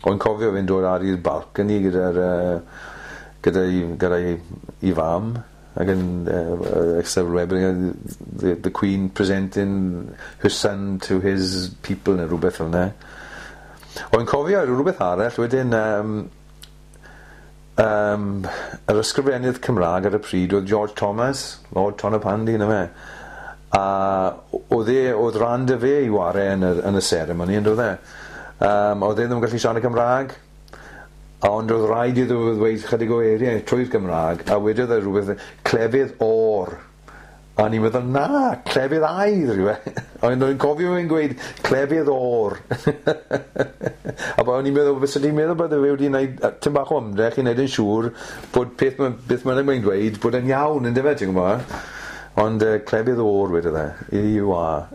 O'n cofio fe'n dod ar i'r balcony gyda'r gyda'i gyda'i 'i fam ac yn the Queen presenting her son to his people neu rwbeth fel 'na. O'n cofio rwbeth arall wedyn yr ysgrifennydd Cymra'g ar y pryd oedd George Thomas, Lord Tonypandy on'd yfe? A o'dd e o'dd ran 'dy fe i ware yn y seremoni on'd o'dd e? O'dd e ddim yn gallu siarad Cymra'g, ond o'dd raid iddo fe ddweud chydig o eiriau trwy'r Gymra'g, a wedodd e rwbeth clefydd o'r. A o'n i'n meddwl, na, clefydd aur yw e. Ond o'n i'n cofio fe'n gweud clefydd o'r. A o'n i'n meddwl, fysa di'n meddwl bod e wedi wneud tym bach o ymdrech i wneud yn siŵr bod peth beth mae'n mae'n dweud bod e'n iawn, yndyfe, ti'n gwybod? Ond clefydd o'r wedodd e, E-U-R.